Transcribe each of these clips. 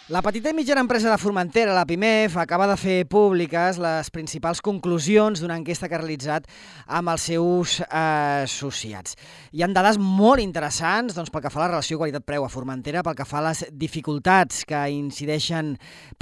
La petita i mitjana empresa de Formentera, la PIMEF, acaba de fer públiques les principals conclusions d'una enquesta que ha realitzat amb els seus associats. Hi ha dades molt interessants pel que fa a la relació qualitat-preu a Formentera, pel que fa a les dificultats que incideixen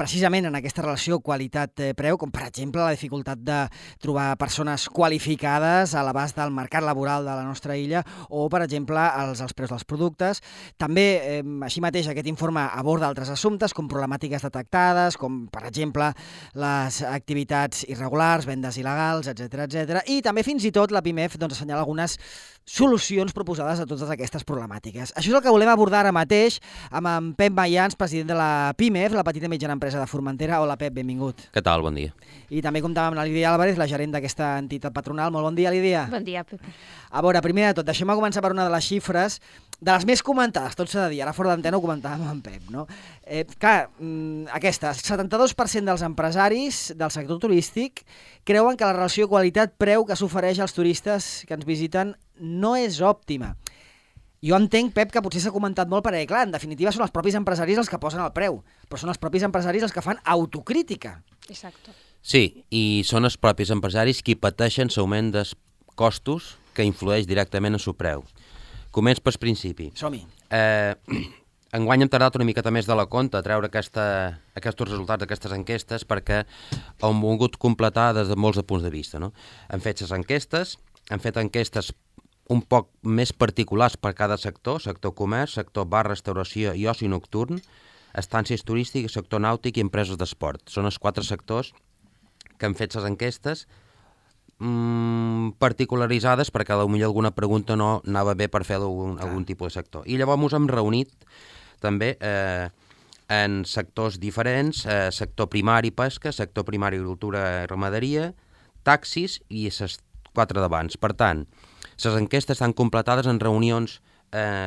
precisament en aquesta relació qualitat-preu, com per exemple la dificultat de trobar persones qualificades a l'abast del mercat laboral de la nostra illa o, per exemple, els preus dels productes. També, així mateix, aquest informe aborda altres assumptes, com problemàtiques detectades, com, per exemple, les activitats irregulars, vendes il·legals, etc. I també, fins i tot, la PIMEF assenyala algunes solucions proposades a totes aquestes problemàtiques. Això és el que volem abordar ara mateix amb en Pep Mayans, president de la PIMEF, la petita i mitjana empresa de Formentera. Hola, Pep, benvingut. Què tal? Bon dia. I també comptàvem amb la Lídia Álvarez, la gerent d'aquesta entitat patronal. Molt bon dia, Lídia. Bon dia, Pep. A veure, primer de tot, deixem-me començar per una de les xifres, de les més comentades, tot s'ha de dir, ara fora d'antena ho comentàvem amb en Pep, no? Aquesta, 72% dels empresaris del sector turístic creuen que la relació qualitat-preu que s'ofereix als turistes que ens visiten no és òptima. Jo entenc, Pep, que potser s'ha comentat molt perquè, clar, en definitiva són els propis empresaris els que posen el preu, però són els propis empresaris els que fan autocrítica. Exacte. Sí, i són els propis empresaris qui pateixen l'augment dels costos que influeix directament en el preu. Començ pel principi. Som-hi. Enguany hem tardat una miqueta més de la compte a treure aquests resultats d'aquestes enquestes perquè hem volgut completar des de molts punts de vista. No? Hem fet les enquestes, hem fet enquestes un poc més particulars per cada sector comerç, sector bar, restauració i oci nocturn, estàncies turístiques, sector nàutic i empreses d'esport. Són els 4 sectors que han fet les enquestes particularitzades perquè potser alguna pregunta no anava bé per fer algun tipus de sector. I llavors ens hem reunit també en sectors diferents, sector primari pesca, sector primari agricultura i ramaderia, taxis i les 4 d'abans. Per tant, les enquestes estan completades en reunions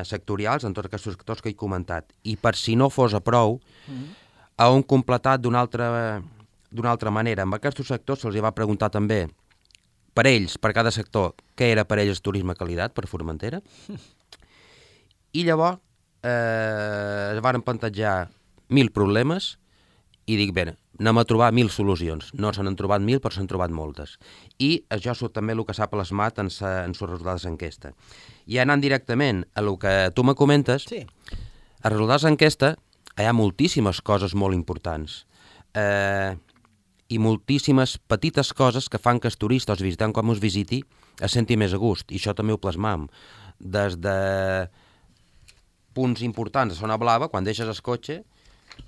sectorials en tots aquests sectors que he comentat. I per si no fos a prou, hem completat d'una altra manera. En aquests sectors se'ls va preguntar també per ells, per cada sector, què era per ells el turisme de qualitat per Formentera. I llavors es van plantejar 1.000 problemes i dic, bé, anem a trobar 1.000 solucions. No se n'han trobat 1.000, però s'han trobat moltes. I això és també el que s'ha plasmat en els resultats d'enquesta. I anant directament a el que tu me comentes, sí. Els resultats d'enquesta hi ha moltíssimes coses molt importants. I moltíssimes petites coses que fan que els turistes, els visitants, quan ens visiti, es senti més a gust. I això també ho plasmam. Des de punts importants a Zona Blava, quan deixes el cotxe,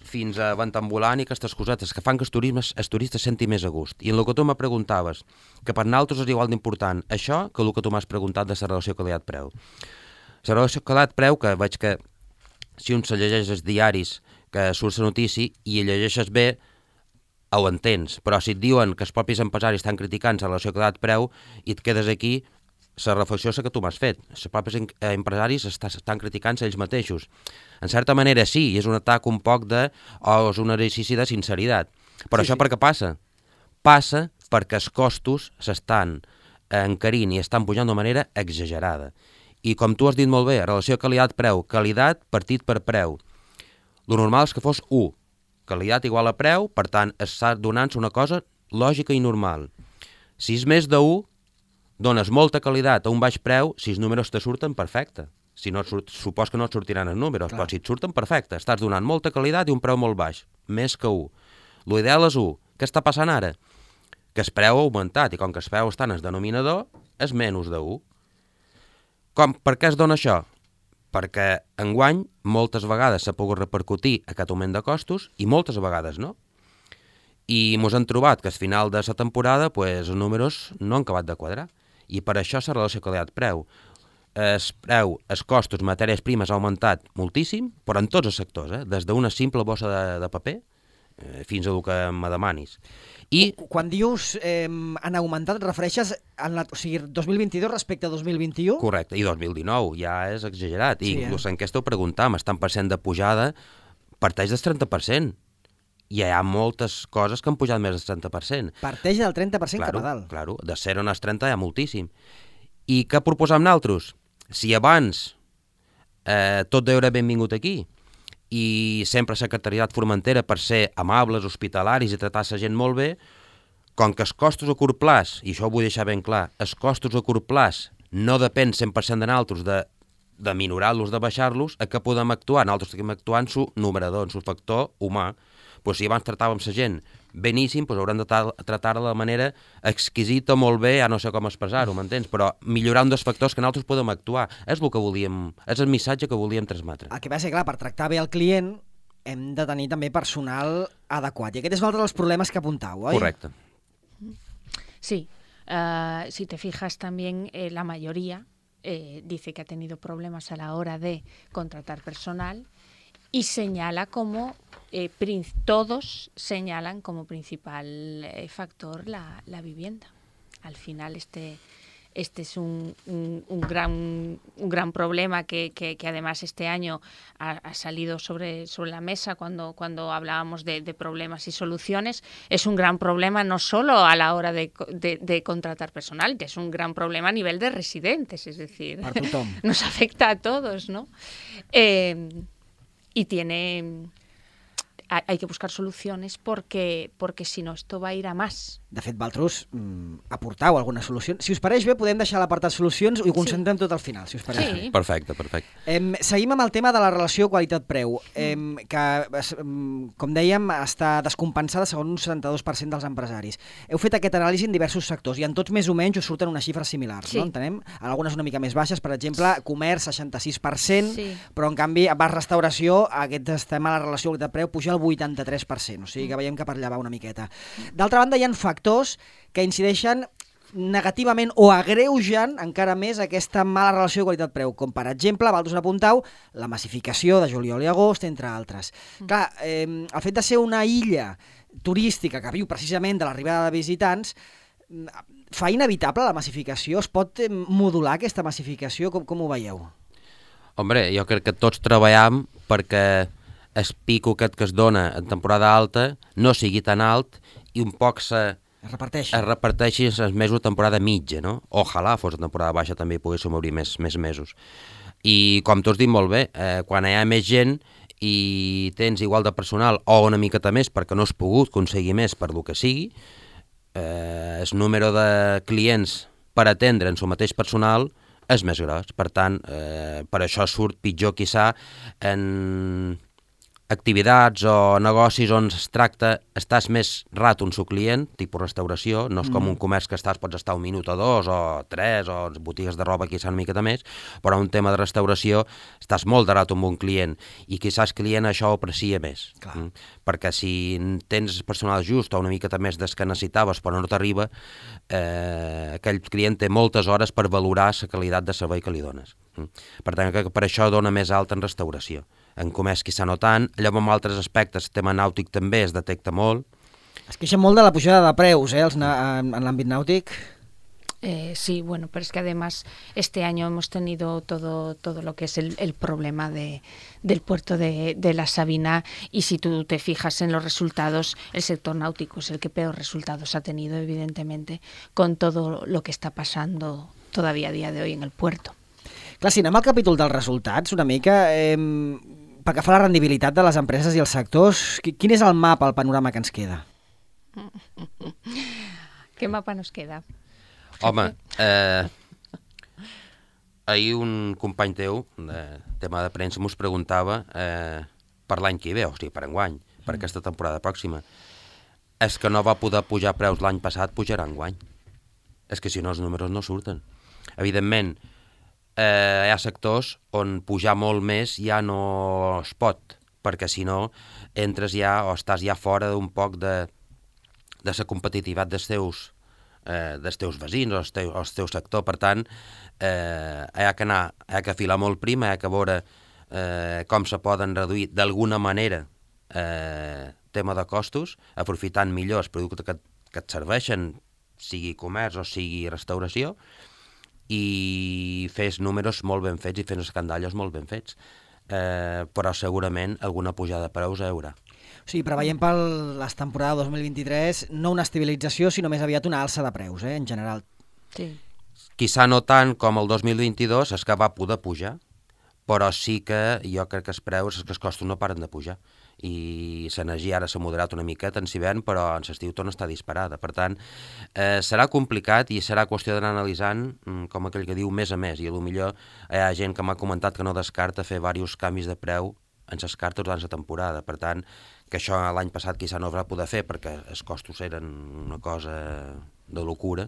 fins a vent ambulant i aquestes cosetes que fan que els turistes senti més a gust. I en el que tu me preguntaves, que per nosaltres és igual d'important això que el que tu m'has preguntat de la relació qualitat-preu. La relació qualitat-preu, que veig que si un se llegeix els diaris que surt la notícia i llegeixes bé, ho entens, però si et diuen que els propis empresaris estan criticant la relació qualitat-preu i et quedes aquí, la reflexió és que tu m'has fet. Els propis empresaris estan criticant ells mateixos. En certa manera sí, és un atac un poc o és un exercici de sinceritat. Però sí, això per què passa? Passa perquè els costos s'estan encarint i estan pujant d'una manera exagerada. I com tu has dit molt bé, relació qualitat-preu, qualitat partit per preu. Lo normal és que fos 1. Qualitat igual a preu, per tant, està donant-se una cosa lògica i normal. Si és més de 1, dones molta qualitat a un baix preu, si els números te surten, perfecte. Si no supos que no et sortiran els números, però si et surten, perfecte. Estàs donant molta qualitat i un preu molt baix, més que 1. L'ideal és 1. Què està passant ara? Que el preu ha augmentat, i com que el preu està en el denominador, és menys de 1. Per què es dona això? Perquè enguany moltes vegades s'ha pogut repercutir aquest augment de costos i moltes vegades no. I ens hem trobat que al final de la temporada els números no han acabat de quadrar. I per això la relació qualitat-preu. Els costos, matèries primes, ha augmentat moltíssim, però en tots els sectors, des d'una simple bossa de paper fins a el que me demanis. I quan dius han augmentat, et refereixes a 2022 respecte a 2021? Correcte, i 2019 ja és exagerat. I inclús en aquesta ho preguntàvem, estan percent de pujada, parteix del 30%. I hi ha moltes coses que han pujat més del 30%. Parteix del 30% cap a dalt. Claro, de 0 als 30 hi ha moltíssim. I què proposam nosaltres? Si abans tot era benvingut aquí i sempre Secretariat Formentera per ser amables, hospitalaris i tratar la gent molt bé, com que els costos a curt plaç, i això ho vull deixar ben clar, els costos a curt plaç no depèn 100% de nosaltres de minorar-los, de baixar-los, a què podem actuar? Nosaltres tenim actuar en su numerador, en su factor humà. Pues si abans tratàvem la gent beníssim, pues haurem de tratar-la de manera exquisita, molt bé, ja no sé com expressar-ho, m'entens? Però millorar un dels factors que nosaltres podem actuar. És el que volíem, és el missatge que volíem transmetre. El que va ser, clar, per tractar bé el client hem de tenir també personal adequat. I aquest és un altre dels problemes que apuntau, oi? Correcte. Sí, si te fijas también la mayoría dice que ha tenido problemas a la hora de contratar personal y señala como, todos señalan como principal factor la vivienda. Al final este es un gran problema que además este año ha salido sobre la mesa cuando hablábamos de problemas y soluciones. Es un gran problema no solo a la hora de contratar personal, que es un gran problema a nivel de residentes, es decir, nos afecta a todos, ¿no? Y hay que buscar soluciones porque si no esto va a ir a más. De fet, vosaltres aportau algunes solucions. Si us pareix bé, podem deixar l'apartat solucions i ho concentrem tot al final, si us pareix bé. Perfecte. Seguim amb el tema de la relació qualitat-preu, que, com dèiem, està descompensada segons un 72% dels empresaris. Heu fet aquest anàlisi en diversos sectors i en tots més o menys us surten unes xifres similars, no? Entenem? En algunes una mica més baixes, per exemple, comerç 66%, però en canvi a bar restauració aquest tema de la relació qualitat-preu puja al 83%, o sigui que veiem que per allà va una miqueta. D'altra banda, hi ha factors que incideixen negativament o agreugen encara més aquesta mala relació de qualitat-preu, com per exemple, vosaltres apuntau, la massificació de juliol i agost, entre altres. Clar, el fet de ser una illa turística que viu precisament de l'arribada de visitants fa inevitable la massificació? Es pot modular aquesta massificació? Com ho veieu? Hombre, jo crec que tots treballem perquè el pico aquest que es dona en temporada alta no sigui tan alt i un poc es reparteixi els mesos de temporada mitja, no? Ojalà fos de temporada baixa també hi poguéssim obrir més mesos. I com tu has dit molt bé, quan hi ha més gent i tens igual de personal o una miqueta més perquè no has pogut aconseguir més per lo que sigui, el número de clients per atendre en el mateix personal és més gros. Per tant, per això surt pitjor quizà en activitats o negocis on es tracta, estàs més rato en su client, tipus restauració, no és com un comerç que pots estar un minut o dos o tres, o botigues de roba quizà una miqueta més, però un tema de restauració estàs molt de rato amb un client i quizà el client això ho aprecia més. Perquè si tens personal just o una miqueta més des que necessitaves però no t'arriba, aquell client té moltes hores per valorar la qualitat de servei que li dones. Per tant, que per això dona més alt en restauració. En comerç quizà no tant, allò amb altres aspectes, el tema nàutic també es detecta molt. Es queixen molt de la pujada de preus, en l'àmbit nàutic. Sí, bueno, pero es que además este año hemos tenido todo lo que es el problema del puerto de la Sabina, y si tú te fijas en los resultados, el sector náutico es el que peor resultados ha tenido, evidentemente, con todo lo que está pasando todavía a día de hoy en el puerto. Clar, si anem al capítol dels resultats, una mica, pel que fa a la rendibilitat de les empreses i els sectors, quin és el mapa, el panorama que ens queda? ¿Qué mapa nos queda? Home, ahir un company teu, de tema de premsa, mos preguntava per l'any que ve, o sigui, per enguany, per aquesta temporada pròxima. És que no va poder pujar preus l'any passat, pujarà enguany. És que si no els números no surten. Evidentment, hi ha sectors on pujar molt més ja no es pot, perquè si no entres ja o estàs ja fora d'un poc de la competitivitat dels teus veïns o el teu sector. Per tant, hi ha que afilar molt prim, hi ha que veure com se poden reduir d'alguna manera tema de costos, aprofitant millor els productes que et serveixen, sigui comerç o sigui restauració, i fes números molt ben fets i fes escandallos molt ben fets. Però segurament alguna pujada de preus hi haurà. O sigui, preveiem per la temporada 2023 no una estabilització, sinó més aviat una alça de preus, en general. Sí. Quizà no tant com el 2022, és que va poder pujar, però sí que jo crec que els costos no paren de pujar i l'energia ara s'ha moderat una miqueta en hivern, però en l'estiu torna a estar disparada. Per tant, serà complicat i serà qüestió d'anar analitzant, com aquell que diu, mes a mes, i potser hi ha gent que m'ha comentat que no descarta fer diversos canvis de preu en les cartes durant la temporada. Per tant, que això l'any passat quizà no es va poder fer perquè els costos eren una cosa de locura,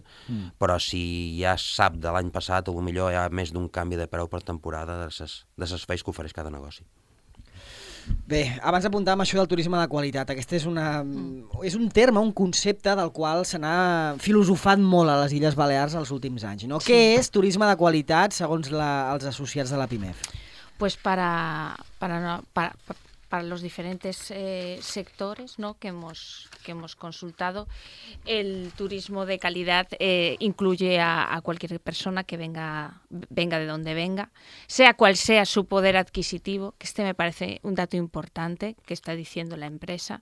però si ja sap de l'any passat, potser hi ha més d'un canvi de preu per temporada de les feis que ofereix cada negoci. Bé, abans apuntàvem això del turisme de qualitat. Aquest és un terme, un concepte del qual se n'ha filosofat molt a les Illes Balears els últims anys, no? Sí. Què és turisme de qualitat segons els associats de la PIMEF? Pues para los diferentes sectores, ¿no?, que hemos consultado, el turismo de calidad incluye a cualquier persona que venga de donde venga, sea cual sea su poder adquisitivo, que me parece un dato importante que está diciendo la empresa,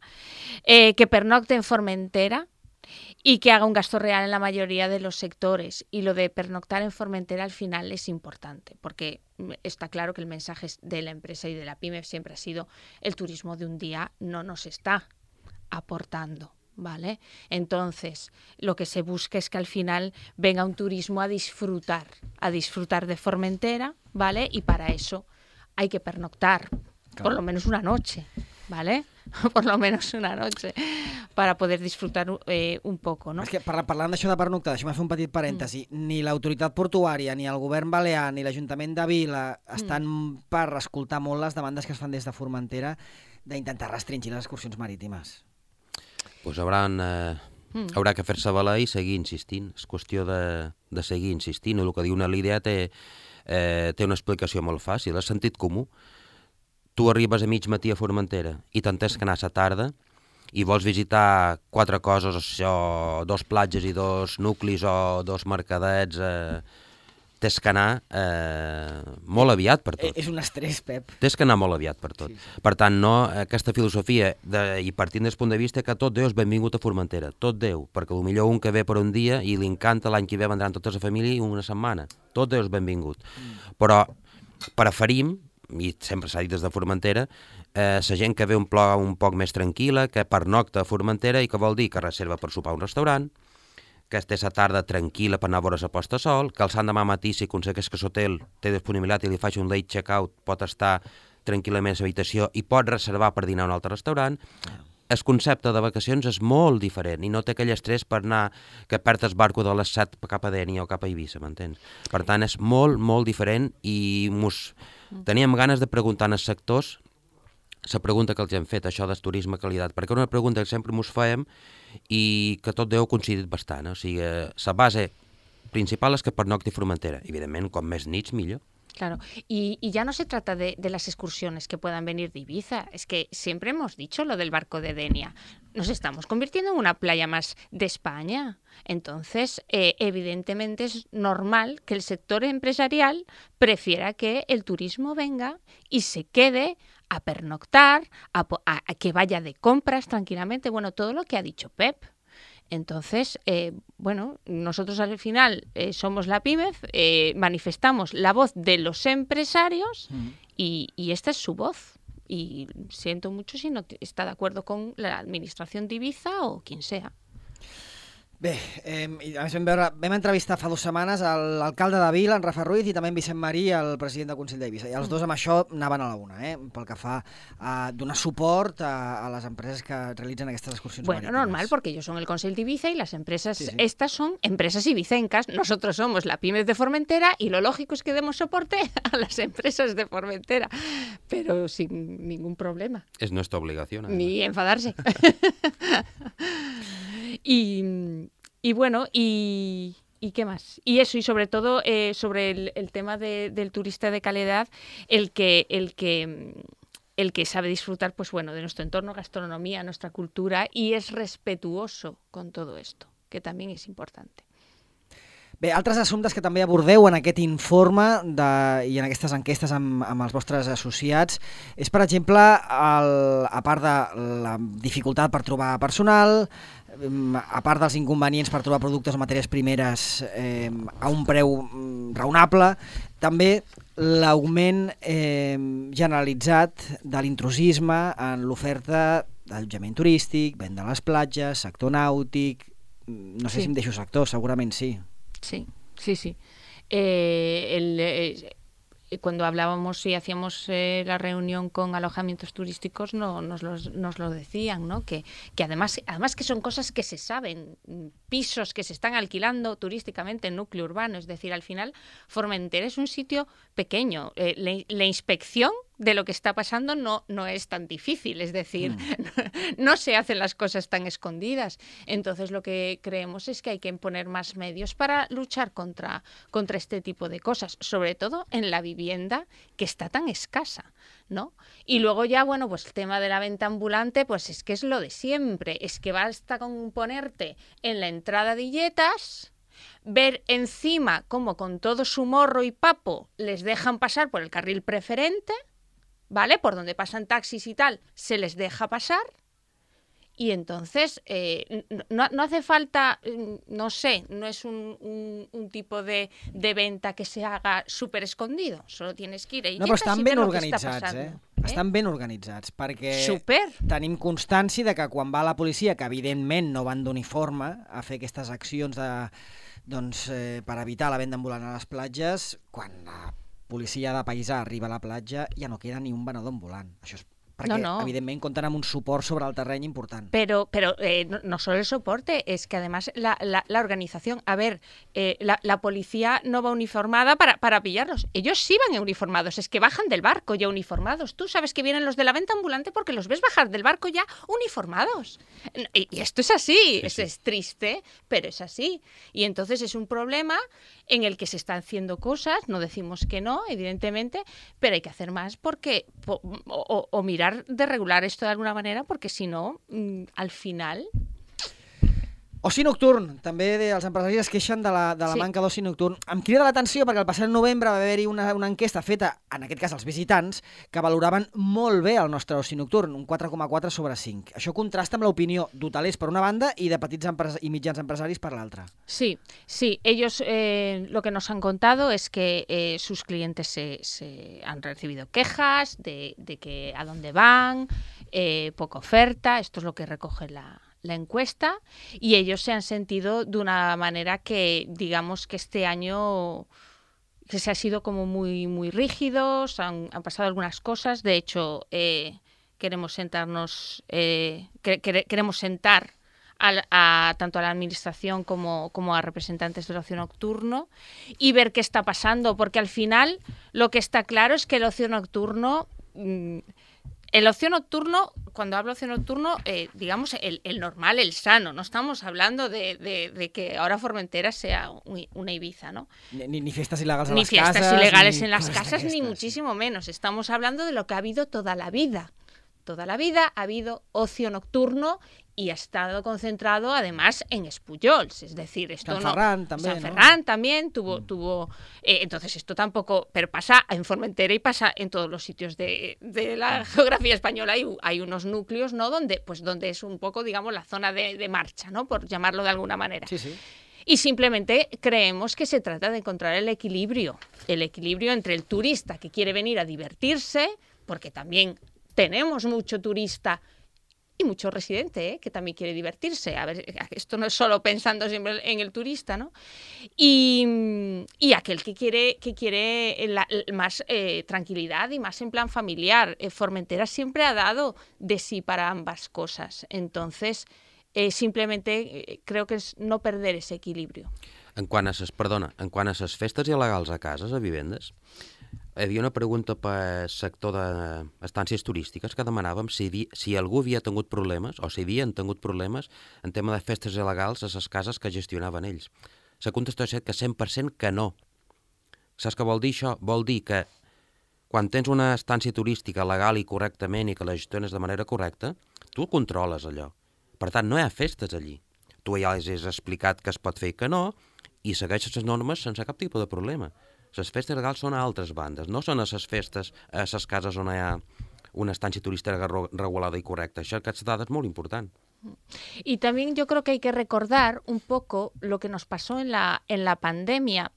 que pernocte en Formentera y que haga un gasto real en la mayoría de los sectores. Y lo de pernoctar en Formentera al final es importante, porque está claro que el mensaje de la empresa y de la PIMEF siempre ha sido: el turismo de un día no nos está aportando, ¿vale? Entonces, lo que se busca es que al final venga un turismo a disfrutar de Formentera, ¿vale? Y para eso hay que pernoctar, claro, por lo menos una noche, ¿vale? Por lo menos una noche, para poder disfrutar un poco, no? És que parlant d'això de pernoctar, deixa'm fer un petit parèntesi, ni l'autoritat portuària, ni el govern balear, ni l'Ajuntament de Vila estan per escoltar molt les demandes que es fan des de Formentera d'intentar restringir les excursions marítimes. Pues haurà que fer-se valer i seguir insistint. És qüestió de seguir insistint. El que diu una Lídia té una explicació molt fàcil, és sentit comú. Tu arribes a mig matí a Formentera i t'entens que anar a la tarda i vols visitar 4 coses, això, 2 platges i 2 nuclis o 2 mercadets, tens que anar molt aviat per tot. És un estrès, Pep. Tens que anar molt aviat per tot. Sí. Per tant, no, aquesta filosofia, i partint del punt de vista que tot Déu és benvingut a Formentera, tot Déu, perquè potser un que ve per un dia i li encanta, l'any que ve vendran tota la família i una setmana. Tot Déu és benvingut. Però preferim, i sempre s'ha dit des de Formentera, la gent que ve un poc més tranquil·la, que pernocta a Formentera i que vol dir que reserva per sopar a un restaurant, que té la tarda tranquil·la per anar a veure la posta de sol, que el sant demà matí, si aconsegueix que l'hotel té disponibilitat i li faig un late check-out, pot estar tranquil·lament a l'habitació i pot reservar per dinar a un altre restaurant. El concepte de vacacions és molt diferent i no té aquell estrès per anar, que perd el barco de les 7 cap a Dénia o cap a Eivissa, m'entens? Per tant, és molt, molt diferent i teníem ganes de preguntar als sectors la pregunta que els hem fet, això del turisme qualitat, perquè una pregunta que sempre ens fèiem i que tot Déu ha coincidit bastant. O sigui, la base principal és que pernocti Formentera. Evidentment, com més nits, millor. Claro, y ya no se trata de las excursiones que puedan venir de Ibiza, es que siempre hemos dicho lo del barco de Denia. Nos estamos convirtiendo en una playa más de España. Entonces, evidentemente es normal que el sector empresarial prefiera que el turismo venga y se quede a pernoctar, a que vaya de compras tranquilamente, bueno, todo lo que ha dicho Pep. Entonces, nosotros al final somos la PIMEF, manifestamos la voz de los empresarios y esta es su voz. Y siento mucho si no está de acuerdo con la administración de Ibiza o quien sea. Bé, a més vam entrevistar fa 2 setmanes l'alcalde de Vila, en Rafa Ruiz, i també en Vicent Marí, el president del Consell d'Eivissa. I els dos amb això anaven a la una, pel que fa a donar suport a les empreses que realitzen aquestes excursions marítimes. Bueno, normal, porque ellos son el Consell d'Ibiza y las empresas, estas son empresas ibicencas. Nosotros somos la PIMEF de Formentera y lo lógico es que demos soporte a las empresas de Formentera, pero sin ningún problema. Es nuestra obligación. Además. Ni enfadarse. Y bueno, ¿y qué más? Y eso, y sobre todo sobre el tema del turista de calidad, el que sabe disfrutar, pues bueno, de nuestro entorno, gastronomía, nuestra cultura, y es respetuoso con todo esto, que también es importante. Bé, altres assumptes que també abordeu en aquest informe i en aquestes enquestes amb els vostres associats és, per exemple, a part de la dificultat per trobar personal, a part dels inconvenients per trobar productes o matèries primeres a un preu raonable, també l'augment generalitzat de l'intrusisme en l'oferta d'allotjament turístic, venda a les platges, sector nàutic, no sé si em deixo sector, segurament sí. Sí. Cuando hablábamos y hacíamos la reunión con alojamientos turísticos nos lo decían, ¿no? Que además que son cosas que se saben, pisos que se están alquilando turísticamente en núcleo urbano, es decir, al final Formentera es un sitio pequeño, la inspección de lo que está pasando no es tan difícil, es decir, no se hacen las cosas tan escondidas. Entonces lo que creemos es que hay que poner más medios para luchar contra este tipo de cosas, sobre todo en la vivienda que está tan escasa, ¿no? Y luego ya, bueno, pues el tema de la venta ambulante, pues es que es lo de siempre, es que basta con ponerte en la entrada de Illetas, ver encima cómo con todo su morro y papo les dejan pasar por el carril preferente, ¿vale? Por donde pasan taxis y tal, se les deja pasar. Y entonces no hace falta, no sé, no es un tipo de venta que se haga súper escondido. Solo tienes que ir a No, però estan ben organitzats, Estan ben organitzats, perquè tenim constància de que quan va la policia, que evidentment no van d'uniforme a fer aquestes accions per evitar la venda ambulant a les platges, quan la policia de paisà arriba a la platja ja no queda ni un venedor ambulant. Això és perquè, evidentment, compten amb un suport sobre el terreny important. Pero no solo el soporte, es que además la organización, a ver, la policía no va uniformada para pillarlos. Ellos sí van uniformados, es que bajan del barco ya uniformados. Tú sabes que vienen los de la venta ambulante porque los ves bajar del barco ya uniformados. Y esto es así, sí. Es triste, pero es así. Y entonces es un problema en el que se están haciendo cosas, no decimos que no, evidentemente, pero hay que hacer más porque o mirar de regular esto de alguna manera, porque si no, al final... Oci nocturn, també els empresaris es queixen de la manca d'oci nocturn. Em crida l'atenció perquè el passat novembre va haver-hi una enquesta feta, en aquest cas als visitants, que valoraven molt bé el nostre oci nocturn, un 4,4 sobre 5. Això contrasta amb l'opinió d'hotelers per una banda i de petits i mitjans empresaris per l'altra. Sí, ellos lo que nos han contado es que sus clientes se han recibido quejas de que a dónde van, poca oferta, esto es lo que recoge la encuesta, y ellos se han sentido de una manera que, digamos, que este año que se ha sido como muy, muy rígidos, han pasado algunas cosas. De hecho, queremos sentarnos, queremos sentar tanto a la administración como a representantes del ocio nocturno y ver qué está pasando, porque al final lo que está claro es que el ocio nocturno... El ocio nocturno, cuando hablo de ocio nocturno, digamos el normal, el sano, no estamos hablando de que ahora Formentera sea una Ibiza, ¿no? Ni fiestas ilegales en ni las fiestas casas. Ilegales en las casas, ni muchísimo menos. Estamos hablando de lo que ha habido toda la vida. Toda la vida ha habido ocio nocturno y ha estado concentrado además en Espullols, es decir, esto San Ferran también, San Ferran también tuvo entonces esto tampoco, pero pasa en Formentera y pasa en todos los sitios de la geografía española. Hay unos núcleos, ¿no? donde es un poco, digamos, la zona de marcha, ¿no? Por llamarlo de alguna manera. Sí. Y simplemente creemos que se trata de encontrar el equilibrio entre el turista que quiere venir a divertirse, porque también tenemos mucho turista y mucho residente que también quiere divertirse. A ver, esto no es solo pensando siempre en el turista, ¿no? Y aquel que quiere más tranquilidad y más en plan familiar. Formentera siempre ha dado de sí para ambas cosas. Entonces, simplemente creo que es no perder ese equilibrio. En quant a les festes il·legals a cases, a vivendes, hi havia una pregunta per sector d'estàncies turístiques que demanàvem si algú havia tingut problemes, o si havien tingut problemes en tema de festes il·legals a les cases que gestionaven ells. La contestació és que 100% que no. Saps què vol dir això? Vol dir que quan tens una estància turística legal i correctament i que la gestiones de manera correcta, tu controles allò. Per tant, no hi ha festes allí. Tu ja els has explicat que es pot fer i que no, i segueixes les normes sense cap tipus de problema. Les festes legals són a altres bandes, no són a les festes, a les cases on hi ha una estancia turística regulada y correcta. Estas dadas es muy importante. Y también yo creo que hay que recordar un poco lo que nos pasó en la pandemia,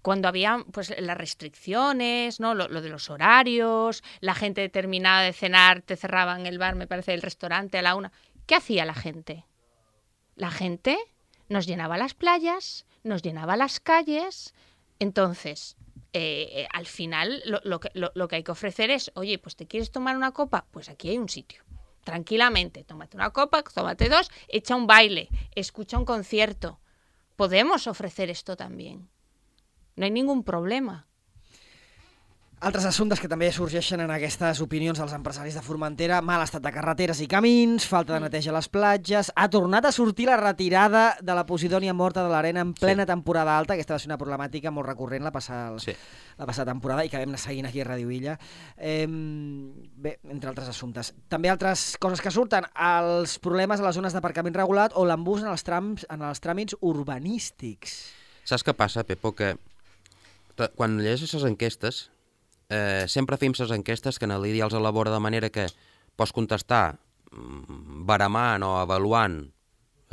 cuando había pues las restricciones, ¿no? Lo de los horarios, la gente terminaba de cenar, te cerraban el bar, me parece, el restaurante a la 1. ¿Qué hacía la gente? La gente nos llenaba las playas, nos llenaba las calles. Entonces, al final lo que hay que ofrecer es, oye, pues ¿te quieres tomar una copa? Pues aquí hay un sitio. Tranquilamente, tómate una copa, tómate 2, echa un baile, escucha un concierto. Podemos ofrecer esto también. No hay ningún problema. Altres assumptes que també sorgeixen en aquestes opinions dels empresaris de Formentera: mal estat de carreteres i camins, falta de neteja a les platges, ha tornat a sortir la retirada de la Posidònia morta de l'arena en plena temporada alta. Aquesta va ser una problemàtica molt recurrent la passada temporada i que vam anar seguint aquí a Ràdio Illa. Bé, entre altres assumptes. També altres coses que surten: els problemes a les zones d'aparcament regulat o l'embús en els tràmits urbanístics. Saps què passa, Pepo? Que quan llegeixes les enquestes, sempre fem les enquestes que en l'IDI els elabora de manera que pots contestar baramant o avaluant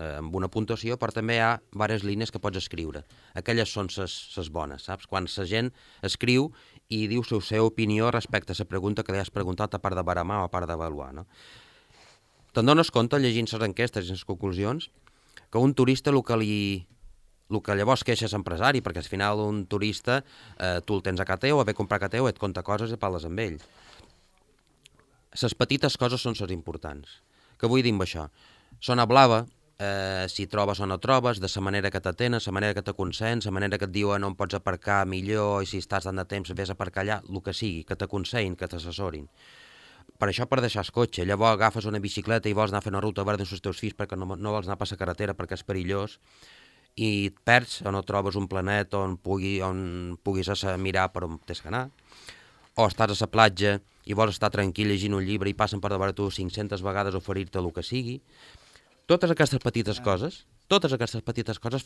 amb una puntuació, però també hi ha diverses línies que pots escriure. Aquelles són les bones, saps? Quan la gent escriu i diu la seva opinió respecte a la pregunta que li has preguntat, a part de baramar o a part d'avaluar, no? Te'n dones compte, llegint les enquestes i les conclusions, que un turista el que llavors queixes empresari, perquè al final un turista tu el tens a casa teu, a ve comprar a casa teu, et conta coses i parles amb ell. Les petites coses són les importants. Què vull dir amb això? Zona blava, si trobes o no trobes, de la manera que t'atenen, la manera que t'aconsens, la manera que et diuen on pots aparcar millor i si estàs tant de temps vés a aparcar allà, el que sigui, que t'aconsellin, que t'assessorin. Per això per deixar el cotxe, llavors agafes una bicicleta i vols anar a fer una ruta verda amb els teus fills perquè no vols anar per la carretera perquè és perillós, i et perds o no trobes un planet on puguis mirar per on tens que anar, o estàs a la platja i vols estar tranquil llegint un llibre i passen per davant tu 500 vegades a oferir-te el que sigui. Totes aquestes petites coses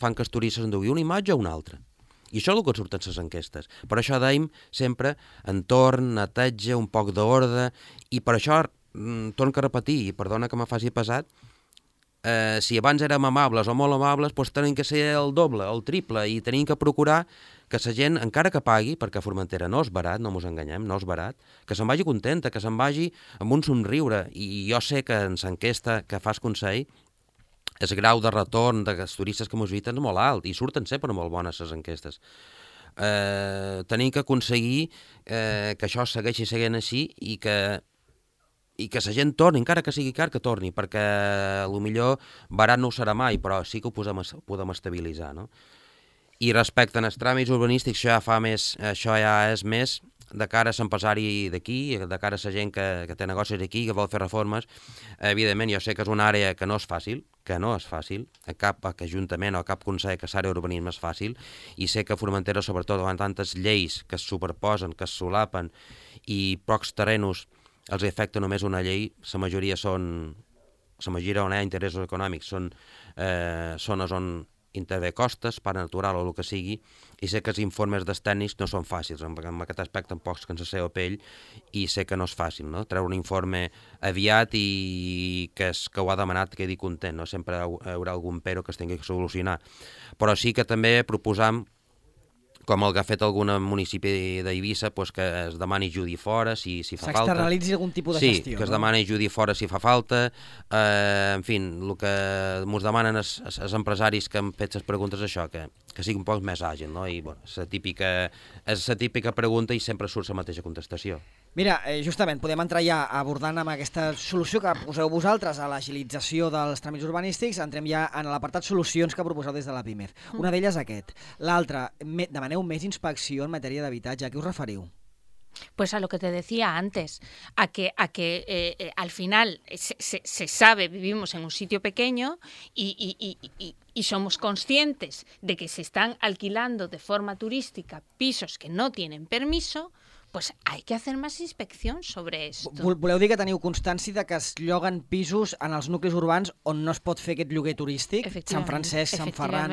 fan que els turistes endugui una imatge o una altra. I això és el que surten les enquestes. Per això dèiem sempre entorn, neteja, un poc d'ordre, i per això torno a repetir, i perdona que me faci pesat, si abans érem amables o molt amables, doncs tenim que ser el doble, el triple, i tenim que procurar que la gent, encara que pagui, perquè a Formentera no és barat, no ens enganyem, no és barat, que se'n vagi contenta, que se'n vagi amb un somriure. I jo sé que en l'enquesta que fas Consell, el grau de retorn dels turistes que ens visiten és molt alt, i surten sempre molt bones les enquestes. Tenim que aconseguir que això segueixi seguint així i que la gent torni, encara que sigui car, que torni, perquè potser barat no ho serà mai, però sí que ho podem estabilitzar, no? I respecte als tràmits urbanístics, això ja és més de cara a l'empresari d'aquí, de cara a la gent que té negocis aquí, que vol fer reformes. Evidentment, jo sé que és una àrea que no és fàcil, a cap ajuntament o a cap consell que l'àrea d'urbanisme és fàcil, i sé que a Formentera, sobretot, amb tantes lleis que es superposen, que es solapen, i pocs terrenos els afecta només una llei, la majoria on hi ha interessos econòmics són zones on intervé costes, parc natural o el que sigui, i sé que els informes dels tècnics no són fàcils, en aquest aspecte tampoc que ens seva pell, i sé que no és fàcil, no? Treure un informe aviat i que ho ha demanat quedi content, no? Sempre hi haurà algun pero que es tingui que solucionar. Però sí que també proposam, com el que ha fet algun municipi d'Eivissa, pues que es demani judi fora si fa falta. S'externalitzi algun tipus de gestió. Sí, que es demani judi fora si fa falta. En fi, el que ens demanen els empresaris que han fet les preguntes és això, que sigui un poc més àgil, no? I bueno, és la típica pregunta i sempre surt la mateixa contestació. Mira, justament, podem entrar ja abordant amb aquesta solució que poseu vosaltres a l'agilització dels tràmits urbanístics. Entrem ja en l'apartat solucions que proposeu des de la PIMEF. Una d'elles aquest. L'altra, demaneu més inspecció en matèria d'habitatge. A què us referiu? Pues a lo que te decía antes, a que al final se sabe, vivimos en un sitio pequeño y somos conscientes de que se están alquilando de forma turística pisos que no tienen permiso. pues hay que hacer más inspección sobre esto. Voleu dir que teniu constància de que es lloguen pisos en els nuclis urbans on no es pot fer aquest lloguer turístic? Sant Francesc, Sant Ferran,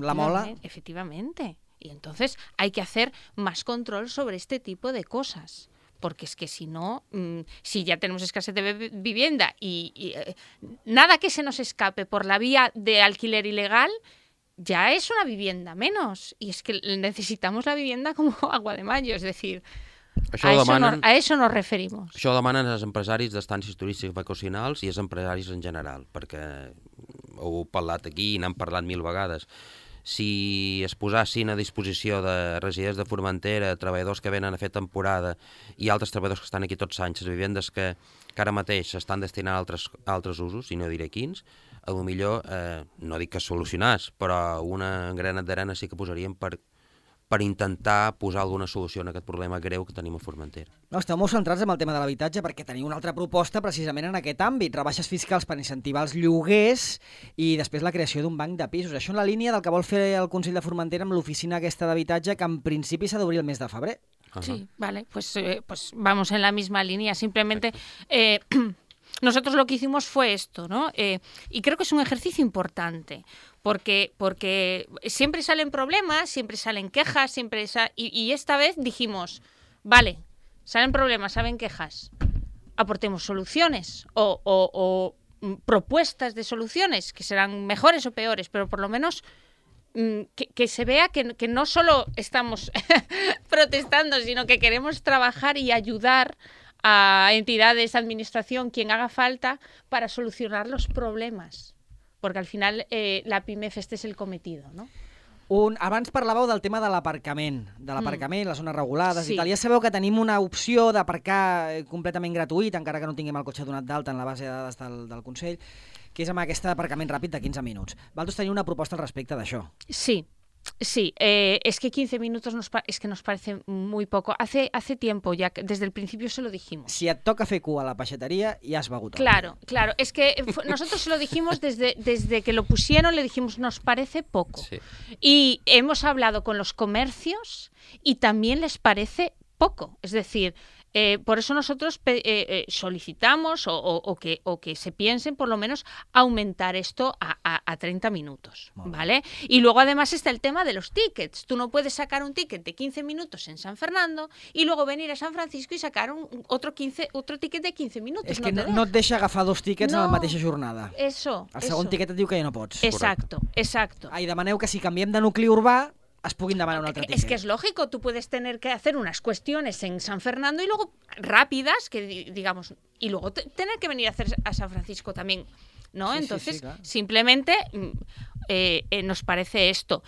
La Mola... Efectivamente. Y entonces hay que hacer más control sobre este tipo de cosas. Porque es que si no, si ya tenemos escasez de vivienda y nada que se nos escape por la vía de alquiler ilegal, ya es una vivienda menos. Y es que necesitamos la vivienda como agua de mayo, es decir, a eso nos referimos. Això ho demanen els empresaris d'estàncies turístiques vacacionals i els empresaris en general, perquè ho heu parlat aquí i n'hem parlat 1000 vegades. Si es posassin a disposició de residents de Formentera, treballadors que venen a fer temporada i altres treballadors que estan aquí tots anys, les vivendes que ara mateix s'estan destinant a altres usos, i no diré quins, a lo millor, no dic que solucionàs, però una granet d'arena sí que posaríem per intentar posar alguna solució a aquest problema greu que tenim a Formentera. No, esteu molt centrats en el tema de l'habitatge perquè teniu una altra proposta precisament en aquest àmbit, rebaixes fiscals per incentivar els lloguers i després la creació d'un banc de pisos. Això en la línia del que vol fer el Consell de Formentera amb l'oficina aquesta d'habitatge que en principi s'ha d'obrir el mes de febrer. Sí, vale, pues vamos en la misma línea, simplemente... Nosotros lo que hicimos fue esto, ¿no? Y creo que es un ejercicio importante, porque siempre salen problemas, siempre salen quejas, y esta vez dijimos, vale, salen problemas, salen quejas, aportemos soluciones o propuestas de soluciones, que serán mejores o peores, pero por lo menos que se vea que no solo estamos protestando, sino que queremos trabajar y ayudar a entidades, administración, quien haga falta, para solucionar los problemas. Porque al final la PIMEF este es el cometido, ¿no? Abans parlàveu del tema de l'aparcament, les zones regulades i tal. Ja sabeu que tenim una opció d'aparcar completament gratuït, encara que no tinguem el cotxe donat d'alta en la base de dades del Consell, que és amb aquest aparcament ràpid de 15 minuts. Vosaltres teniu una proposta al respecte d'això. Sí, es que 15 minutos nos parece muy poco. Hace tiempo ya, desde el principio se lo dijimos. Si et toca fer cua a la peixateria, ja has begut. Claro, es que nosotros se lo dijimos desde que lo pusieron, le dijimos, nos parece poco. Sí. Y hemos hablado con los comercios y también les parece poco. Es decir, por eso nosotros solicitamos o que se piensen por lo menos aumentar esto a 30 minutos, ¿vale? Y luego además está el tema de los tickets. Tú no puedes sacar un ticket de 15 minutos en San Fernando y luego venir a San Francisco y sacar otro ticket de 15 minutos. És que no et deixa agafar 2 tickets en la mateixa jornada. Eso. El segon ticket et diu que ja no pots. Exacto. I demaneu que si canviem de nucli urbà es puguin demanar un altre ticket. Es que es lógico, tú puedes tener que hacer unas cuestiones en San Fernando y luego rápidas, que digamos, y luego tener que venir a hacer a San Francisco también, ¿no? Sí, entonces, claro. Simplemente nos parece esto.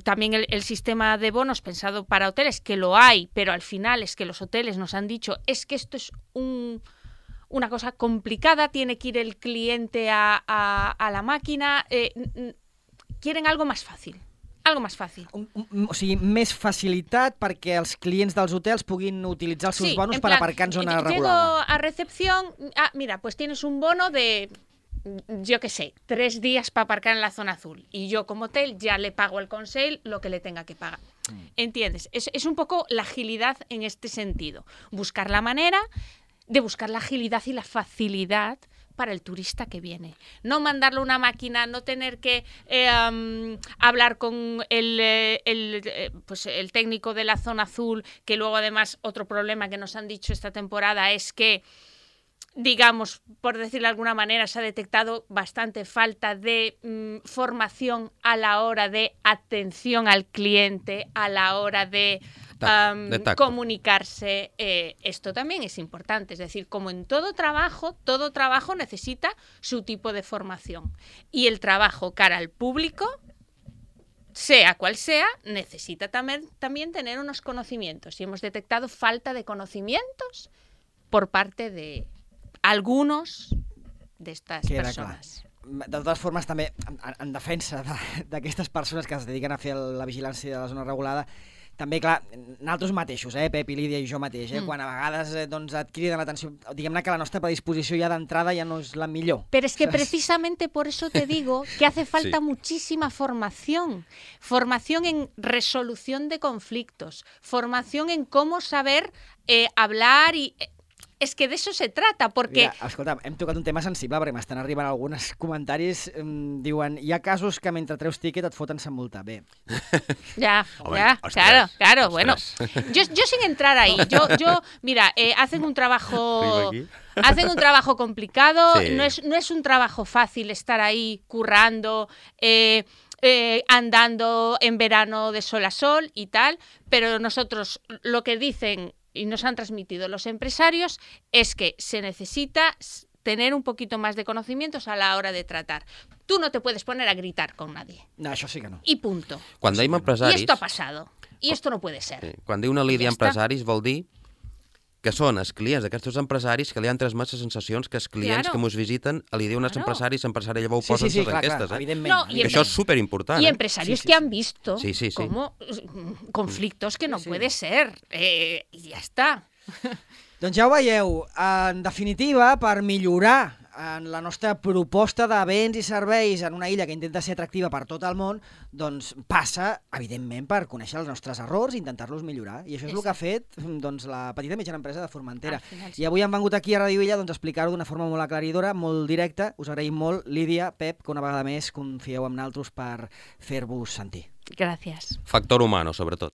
También el sistema de bonos pensado para hoteles, que lo hay, pero al final es que los hoteles nos han dicho, es que esto es una cosa complicada, tiene que ir el cliente a la máquina, quieren algo más fácil. Algo más fácil. O sigui, més facilitat perquè els clients dels hotels puguin utilitzar els seus bonos per aparcar en zona regulada. Llego a recepción, mira, pues tienes un bono de, yo qué sé, 3 días para aparcar en la zona azul. Y yo como hotel ya le pago al Consell lo que le tenga que pagar. ¿Entiendes? Es un poco la agilidad en este sentido. Buscar la manera de buscar la agilidad y la facilidad para el turista que viene. No mandarle una máquina, no tener que hablar con el técnico de la zona azul, que luego además otro problema que nos han dicho esta temporada es que, digamos, por decirlo de alguna manera, se ha detectado bastante falta de formación a la hora de atención al cliente, a la hora de comunicarse. Esto también es importante, es decir, como en todo trabajo necesita su tipo de formación. Y el trabajo cara al público, sea cual sea, necesita también tener unos conocimientos. Y hemos detectado falta de conocimientos por parte de algunos de estas persones. De totes formes, també, en defensa d'aquestes persones que es dediquen a fer la vigilància de la zona regulada, també, clar, nosaltres mateixos, Pep i Lídia i jo mateix, quan a vegades doncs, et criden l'atenció, diguem-ne que la nostra predisposició ja d'entrada ja no és la millor. Pero es que precisamente por eso te digo que hace falta muchísima formación. Formación en resolución de conflictos, formación en cómo saber hablar y... És que d'això se trata, perquè... Mira, escolta, hem tocat un tema sensible, perquè m'estan arribant alguns comentaris, diuen, hi ha casos que mentre treus tiquet et foten sa multa. Bé. Ya, Hombre, ya, ostras, claro, ostras. bueno. Yo sin entrar ahí, mira, hacen un trabajo complicado, Sí. no es un trabajo fácil estar ahí currando, andando en verano de sol a sol y tal, pero nosotros lo que dicen y nos han transmitido los empresarios es que se necesita tener un poquito más de conocimientos a la hora de tratar. Tú no te puedes poner a gritar con nadie. No, això sí que no. Y punto. Quan dèiem Y empresaris... esto ha pasado. Y esto no puede ser. Quan diu una Lídia Ja està. empresaris vol dir que són els clients d'aquests empresaris que li han transmès les sensacions que els clients Claro. que mos visiten li diuen als Claro. empresaris, empresari llavors ho Sí, posen sí, les clar, enquestes. evidentment. No, Que això és superimportant. Y empresarios que han visto Sí, sí, sí. como conflictos que no puede ser. Y ya está. Doncs ja ho veieu, en definitiva, per millorar en la nostra proposta de béns i serveis en una illa que intenta ser atractiva per tot el món, doncs passa, evidentment, per conèixer els nostres errors i intentar-los millorar. I això és el que ha fet doncs, la petita i mitjana empresa de Formentera. Al final, sí. I avui han vengut aquí a Radio Illa doncs, a explicar-ho d'una forma molt aclaridora, molt directa. Us agraïm molt, Lídia, Pep, que una vegada més confieu en naltros per fer-vos sentir. Gracias. Factor humano, sobretot.